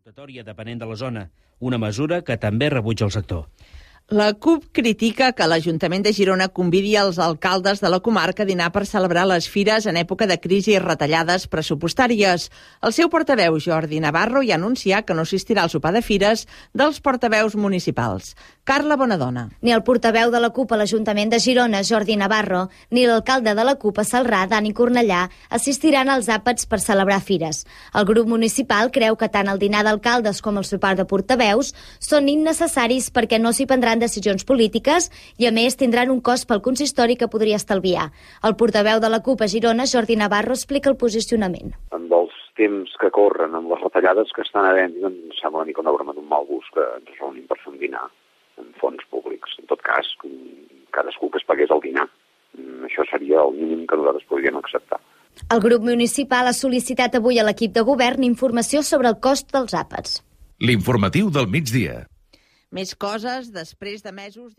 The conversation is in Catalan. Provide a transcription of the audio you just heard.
Rotatòria depenent de la zona, una mesura que també rebutja el sector. La CUP critica que l'Ajuntament de Girona convidi els alcaldes de la comarca a dinar per celebrar les fires en època de crisi i retallades pressupostàries. El seu portaveu, Jordi Navarro, ja anuncià que no assistirà al sopar de fires dels portaveus municipals. Carla Bonadona. Ni el portaveu de la CUP a l'Ajuntament de Girona, Jordi Navarro, ni l'alcalde de la CUP a Celrà, Dani Cornellà, assistiran als àpats per celebrar fires. El grup municipal creu que tant el dinar d'alcaldes com el sopar de portaveus són innecessaris perquè no s'hi prendran decisions polítiques i, a més, tindran un cost pel consistori que podria estalviar. El portaveu de la CUP a Girona, Jordi Navarro, explica el posicionament. Amb els temps que corren, amb les retallades que estan havent, doncs sembla una mica una broma d'un mal gust que ens reunim per fer un dinar en fons públics. En tot cas, cadascú que es pagués el dinar. Això seria el mínim que nosaltres podríem acceptar. El grup municipal ha sol·licitat avui a l'equip de govern informació sobre el cost dels àpats. L'informatiu del migdia. Més coses després de mesos